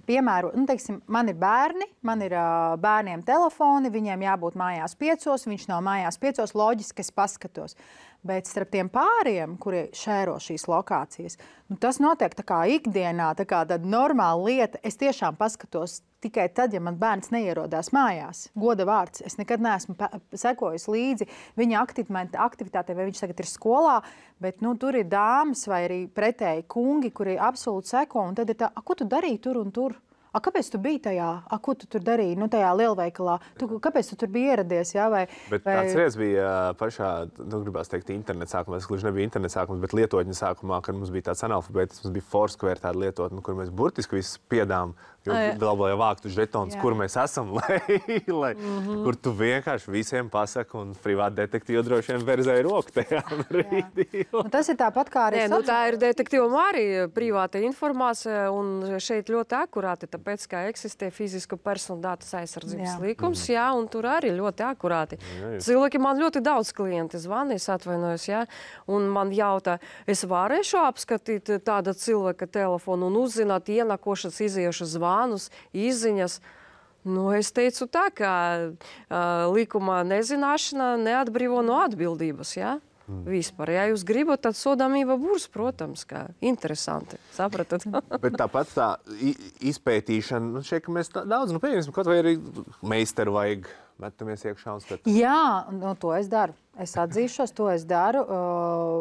piemēru. Nu, teiksim, man ir bērni, man ir uh, bērniem telefoni, viņiem jābūt mājās piecos, viņš nav mājās piecos, loģiski es paskatos. Bet starp tiem pāriem, kuri šēro šīs lokācijas, nu, tas notiek tā kā ikdienā, tā kā tāda normāla lieta. Es tiešām paskatos tikai tad, ja man bērns neierodās mājās. Goda vārds. Es nekad neesmu sekojis līdzi viņa aktivitātei, vai viņš tagad ir skolā, bet nu, tur ir dāmas vai arī pretēji kungi, kuri absolūti seko, un tad ir tā, a, ko tu darīji tur un tur? A, kāpēc tu biji tajā? A, ko tu tur darīji? Nu, tajā lielveikalā. Tu, kāpēc tu tur biji ieradies? Jā, vai, bet vai... tāds reiz bija pašā, nu, gribās teikt, interneta sākumā. Tas gluži nebija interneta sākums, bet lietotņa sākumā, kad mums bija tāds analfabēts, mums bija Foursquare tāda lietotne, kur mēs burtiski visu piedām, jo vēl vāktu žetonus, kur mēs esam, lai, lai mm-hmm. kur tu vienkārši visiem pasaki un privāti detektīvi droši vien verzēja roku tajā brīdī. Tas ir tāpat kā arī... Nē, nu, tā ir detektīvam arī privāta informācija un šeit ļoti akurāti, tāpēc, ka eksistē fizisko personu datus aizsardzības jā. Līkums, jā, un tur arī ļoti akurāti. Jā, cilvēki man ļoti daudz klienti zvana, es atvainojos, jā, un man jautā, es varēšu apskatīt tāda cilvēka telefonu un uzzināt ienakošas, iziejušas zvanus, izziņas. Nu, es teicu tā, ka uh, likuma nezināšana neatbrīvo no atbildības, jā? Mm. Vispār. Ja jūs gribat, tad sodāmība būs, protams, kā interesanti. Sapratat? Bet tāpat tā izpētīšana, nu, šeit, ka mēs tā, daudz, nu, pieņemsim, kaut vai arī meisteru vajag, metamies iekšā un skatām. Jā, nu, to es daru. Es atzīšos, to es daru.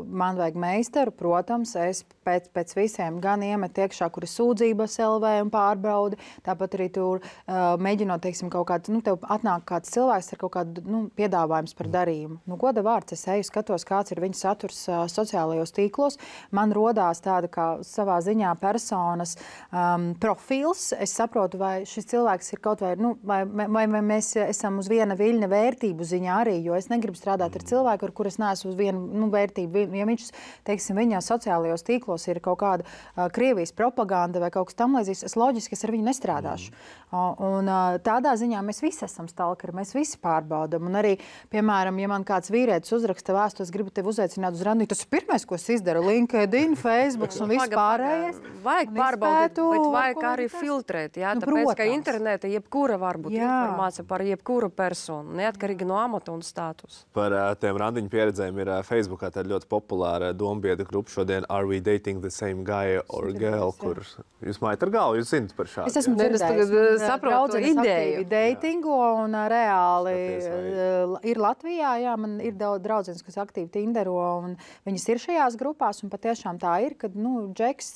Man vajag meistaru, protams. Es pēc, pēc visiem gan iemet iekšā, kur ir sūdzības L V un pārbaudi. Tāpat arī tur mēģinot, teiksim, kaut kādu, nu, tev atnāk kāds cilvēks ar kaut kādu, nu, piedāvājums par darījumu. Nu, goda vārds, es eju, skatos, kāds ir viņa saturs sociālajos tīklos. Man rodās tāda kā savā ziņā personas um, profils. Es saprotu, vai šis cilvēks ir kaut vai, nu, vai, vai, vai mēs esam uz viena viļņa vērtību ziņā arī, jo es negribu strādāt ar cilvēku, ar kur es neesmu uz vienu, nu, vērtību. Ja viņš, teiksim, viņa sociālajos tīklos ir kaut kāda uh, Krievijas propaganda vai kaut kas tam līdzīgs, es loģiski es ar viņu nestrādāšu. Mm. Uh, un uh, tādā ziņā mēs visi esam stalkeri, mēs visi pārbaudam. Un arī, piemēram, ja man kāds vīrietis uzraksta vēstu, es gribu tevi uzaicināt uz randiņu, tas ir pirmais, ko es izdaru. LinkedIn, Facebook un viss pārējais. Vajag pārbaudīt, bet vajag arī filtrēt, jā, nu, tāpēc, protams. Ka interneta jebkura var būt jā. Informācija par jebkuru personu, neatkarīgi no amata un statusa. Par tiem randiņu pieredzēm ir Facebookā tāda ļoti populāra dombiedra grupa šodien Are we dating the same guy or girl, kur jūs mājat ar galvu, jūs zinat par šādu. Es esmu dzirdējis, saprotu ideju. Datingo un reāli Skaties, ir Latvijā, jā, man ir daudz draudzenes, kas aktīvi Tindero un viņas ir šajās grupās un patiešām tā ir, kad, nu, Džeks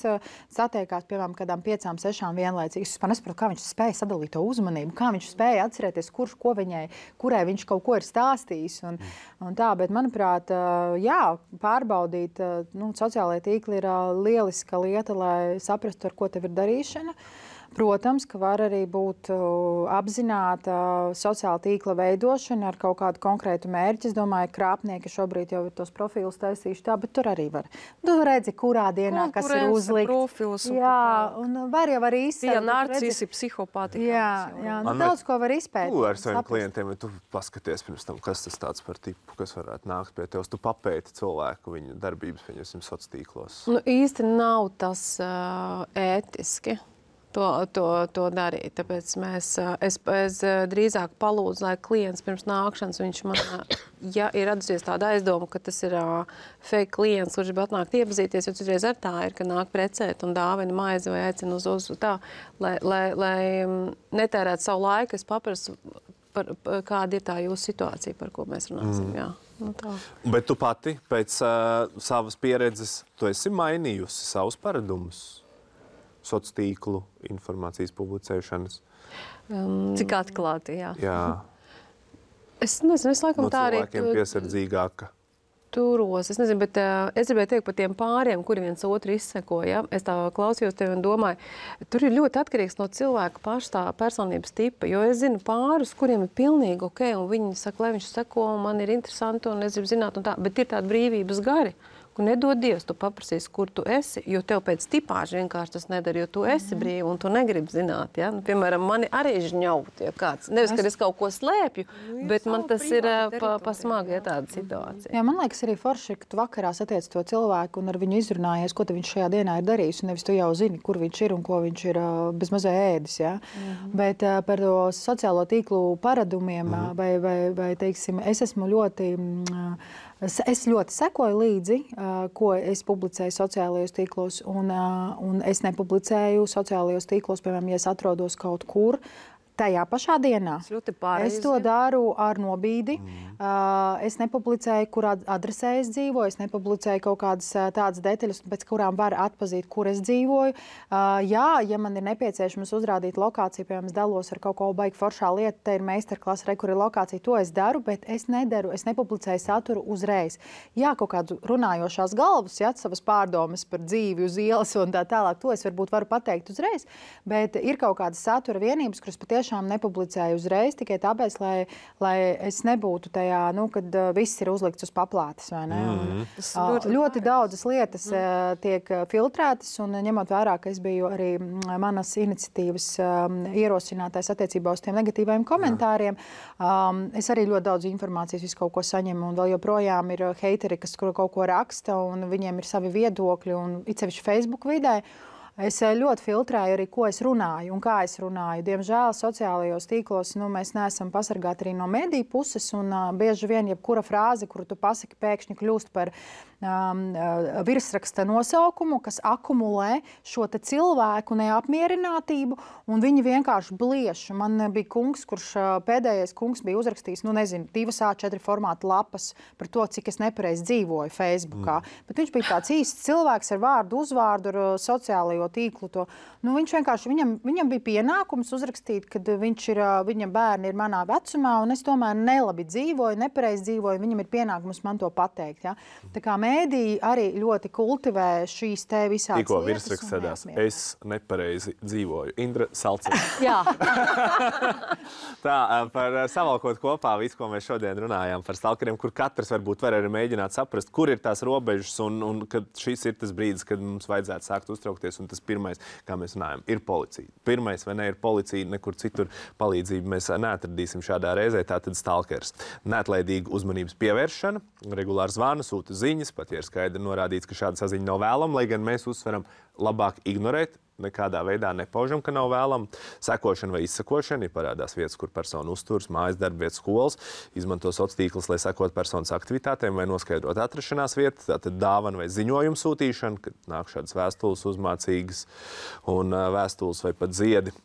satiekās, piemēram, kādām piecām, sešām vienlaicīgi. Es pat nesaprotu, kā viņš spēja sadalīt to uzmanību, kā viņš spēja atcerēties, kurš ko viņai, kurai viņš kaut ko ir stāstījis un, un tā, bet, manuprāt, jā, pārbaudīt, nu, sociālajie tīkli ir lieliska lieta, lai saprastu, ar ko tev ir darīšana. Protams, ka var arī būt apzināta sociāla tīkla veidošana ar kaut kādu konkrētu mērķi. Es domāju, krāpnieki šobrīd jau ir tos profilus taisījuši tā, bet tur arī var. Tu redzi, kurā dienā, kas ir uzlikts. Profils un jā, un var jau arī izsēt. Jā, narcisi, psihopāti. Jā, jā, nu, daudz ko var izpēt. Tu ar saviem klientiem, tu paskaties pirms tam, kas tas tāds par tipu, kas varētu nākt pie tev. Tu papēti cilvēku, viņa darbības, viņasim sociālos tīklos. Nu, īsti nav tas uh, ētiski. To, to, to darīt. Tāpēc mēs, es, es drīzāk palūdzu, lai klients pirms nākšanas, viņš man, ja ir atzīst tāda aizdoma, ka tas ir uh, fake klients, kurš grib atnākt iepazīties, jo citreiz ar tā ir, ka nāk precēt un dāvina maizi vai aicina uz uz tā, lai, lai, lai netērētu savu laiku, es paprasu, par, par, kāda ir tā jūsu situācija, par ko mēs runāsim. Mm. Jā. Nu, tā. Bet tu pati pēc uh, savas pieredzes, tu esi mainījusi savus paradumus? Sociālo tīklu informācijas publicēšanas. Um, Cik atklāti, jā. Jā. Es nezinu, es laikam no tā arī... No cilvēkiem piesardzīgāka. Turos. Es nezinu, bet uh, es gribēju teikt par tiem pāriem, kuri viens otru izseko. Ja? Es tā klausījos tevi un domāju, tur ir ļoti atkarīgs no cilvēka paša tā personības tipa, jo es zinu pārus, kuriem ir pilnīgi ok, un viņi saka, lai viņš seko, un man ir interesanti, un es gribu zināt, un tā, bet ir tādi brīvības gari, nedod Dievs, tu paprasīsi, kur tu esi, jo tev pēc tipāža vienkārši tas nedara, jo tu esi mm. brīvi un tu negribi zināt. Ja? Nu, piemēram, mani arī žņaut, ja kāds. Nevis, ka es kaut ko slēpju, nu, bet man tas ir pa, pa smagi, ja tāda situācija. Jā, man liekas arī forši, ka tu vakarā satiec to cilvēku un ar viņu izrunājies, ko viņš šajā dienā ir darījis, un nevis tu jau zini, kur viņš ir un ko viņš ir bez mazai ēdis. Ja? Mm. Bet uh, par to sociālo tīklu paradumiem mm. vai, vai, vai, teiksim, es esmu ļoti... Uh, Es ļoti sekoju līdzi, ko es publicēju sociālajos tīklos, un, un es nepublicēju sociālajos tīklos, piemēram, ja es atrodos kaut kur, tajā pašā dienā. Es to daru ar nobīdi. Mm. Es nepublicēju, kurā adresē es dzīvoju, es nepublicēju kaut kādas tādas detaļas, pēc kurām var atpazīt, kur es dzīvoju. Jā, ja man ir nepieciešams uzrādīt lokāciju, piemēram, es dalos ar kaut ko baigi foršā lieta, te ir meistarklase, re, kur ir lokācija, to es daru, bet es nedaru, es nepublicēju saturu uzreiz. Jā, kaut kādu runājošās galvas, ja, savas pārdomas par dzīvi uz ielas un tā tālāk, to es varbūt varu pateikt uzreiz, bet ir kaut kādas satura vienības, kuras patiešām nepublicēju uzreiz, tikai tāpēc, lai, lai es nebūtu tajā, nu, kad uh, viss ir uzlikts uz paplātes, vai ne? Mm. Un, uh, ļoti daudzas lietas uh, tiek filtrētas, un ņemot vērā, ka es biju arī manas iniciatīvas um, ierosinātais attiecībā uz tiem negatīvajiem komentāriem, um, es arī ļoti daudz informācijas visu kaut ko saņemu, un vēl joprojām ir heiteri, kas kaut ko raksta, un viņiem ir savi viedokļi, un it sevišķi Facebook vidē. Es ļoti filtrēju arī, ko es runāju un kā es runāju. Diemžēl sociālajos tīklos nu, mēs neesam pasargāti arī no mediju puses, un uh, bieži vien jebkura frāze, kuru tu pasaki, pēkšņi kļūst par um, virsraksta nosaukumu, kas akumulē šo te cilvēku neapmierinātību, un viņi vienkārši blieš. Man bija kungs, kurš pēdējais kungs bija uzrakstījis, nu nezinu, divas A četri formāta lapas par to, cik es nepareizi dzīvoju Facebookā. Mm. Bet viņš bija tāds īsts cilvēks ar vārdu, uzvārdu, ar sociālajo tīklu. To. Nu, viņš vienkārši, viņam, viņam bija pienākums uzrakstīt, kad viņš ir, viņa bērni ir manā vecumā, un es tomēr nelabi dzīvoju, nepareizi dzīvoju, viņam ir pienākums man to pateikt. Ja? Tā kā mēdī arī ļoti kultivē šīs te visādas Tikko virsraksts sēdās, es nepareizi dzīvoju. Indra Salce. Jā. Tā, par savalkot kopā visu, ko mēs šodien runājām par stalkeriem, kur katrs varbūt var arī mēģināt saprast, kur ir tās robežas, un, un kad šis ir tas brīdis, kad mums vajadzētu sākt uztraukties, un tas pirmais, kā mēs runājam, ir policija. Pirmais, vai ne, ir policija, nekur citur palīdzību mēs neatradīsim šādā reizē, tātad stalkers. Neatlaidīga uzmanības pievēršana, regulāri zvana, sūta ziņas, pat ja ir skaidri norādīts, ka šāda saziņa nav vēlama, lai gan mēs uzsveram labāk ignorēt, nekādā veidā nepaužam, ka nav vēlama. Sekošana vai izsekošana, ja parādās vietas, kur persona uzturas, mājas, darba vietas, skolas, izmanto sociālos tīklus, lai sekot personas aktivitātēm vai noskaidrot atrašanās vietu, tātad dāvana vai ziņojuma sūtīšana, kad nāk šādas vēstules uzmācīgas un uh, vēstules vai pat ziedi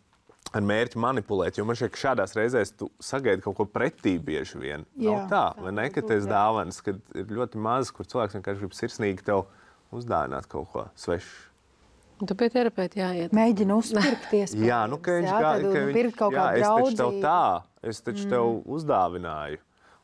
ar mērķi manipulēt, jo man šķiet, ka šādās reizēs tu sagaidi kaut ko pretī bieži vien. Jā, nav tā, vai ne, ka tas dāvanas, kad ir ļoti maz, kur cilvēks vienkārši grib sirsnīgi tev uzdāvināt kaut ko svešu. Tu pie terapeita jāiet. Mēģina uzpirkties. Jā, nu, ka viņš jā, kā, tad ka viņš, kaut jā, es taču tev tā, es taču mm. tev uzdāvināju.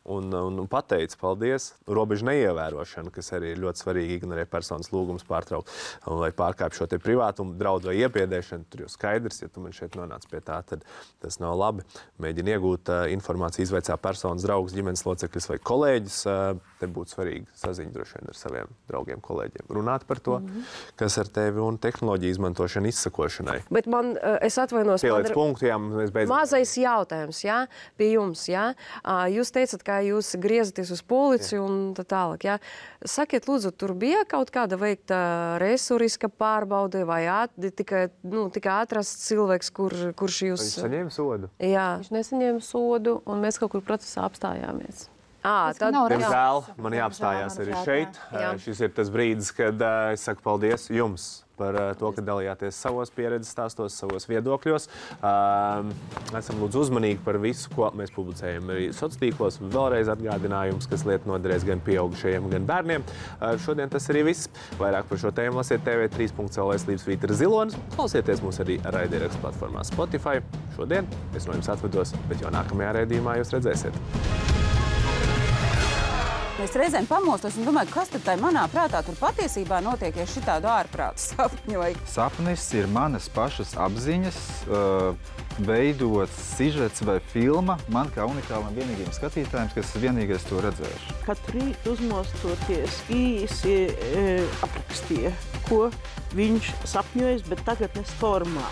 Un, un, un pateicu, paldies, robežu neievērošana, kas arī ir ļoti svarīgi, ignorē personas lūgums pārtraukt vai pārkāpt šo te privātumu, draudu vai iebiedēšanu. Tur jau skaidrs, ja tu man šeit nonāc pie tā, tad tas nav labi. Mēģini iegūt uh, informāciju, izvaicā personas draugus, ģimenes locekļus vai kolēģus. Uh, te būtu svarīgi saziņa droši vien ar saviem draugiem, kolēģiem. Runāt par to, mm-hmm. kas ar tevi un tehnoloģiju izmantošanu izsakošanai. Bet man, uh, es atvainos... Pieliec punktu, jā, mēs beidzam. Mazais jautājums, jā, pie jums, jā. Uh, jūs teicat, ka jūs griezaties uz policiju un tā tālāk. Ja? Sakiet, lūdzu, tur bija kaut kāda veikta resuriska pārbaude vai at, tikai, nu, tikai atrasts cilvēks, kur, kurš jūs... Viņš saņēma sodu? Jā. Viņš nesaņēma sodu, un mēs kaut kur procesā apstājāmies. À, tad, diemžēl, man jāapstājās arī šeit. Jā. Šis ir tas brīdis, kad uh, es saku paldies jums par uh, to, ka dalījāties savos pieredzes stāstos, savos viedokļos. Uh, esam lūdzu uzmanīgi par visu, ko mēs publicējam arī sociālos tīklos. Vēlreiz atgādinājums, kas lieta noderēs gan pieaugušajiem, gan bērniem. Uh, šodien tas arī viss. Vairāk par šo tēmu lasiet T V trīs punkts L V slīpst Vītra Zilonis. Klausieties mūs arī raidierakstu platformā Spotify. Šodien es no jums atvedos, bet jau nākamajā raidījumā jūs redzēsiet. Es reizēm pamostos un domāju, kas tad tai manā prātā tur patiesībā notiek, ja šitādu ārprātu sapņoju. Sapnis ir manas pašas apziņas, uh, veidots sižets vai filma man kā unikālam vienīgiem skatītājiem, kas vienīgais to redzējuši. Katru rītu uzmostoties īsi e, aprakstīja, ko viņš sapņojas, bet tagadnes formā.